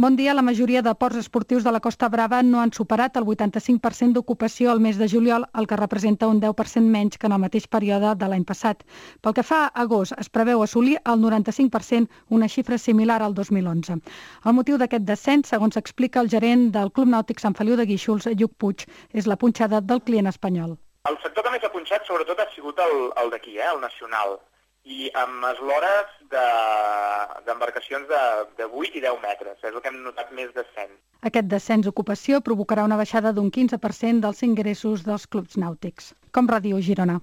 Bon dia. La majoria de ports esportius de la Costa Brava no han superat el 85% d'ocupació al mes de juliol, el que representa un 10% menys que en el mateix període de l'any passat. Pel que fa a agost, es preveu assolir el 95%, una xifra similar al 2011. El motiu d'aquest descens, segons explica el gerent del Club Nàutic Sant Feliu de Guíxols, Lluc Puig, és la punxada del client espanyol. El sector que més ha punxat sobretot ha sigut el d'aquí, el nacional, i amb eslores d'embarcacions de 8 i 10 metres. És el que hem notat més descens. Aquest descens d'ocupació provocarà una baixada d'un 15% dels ingressos dels clubs nàutics. Com Ràdio Girona.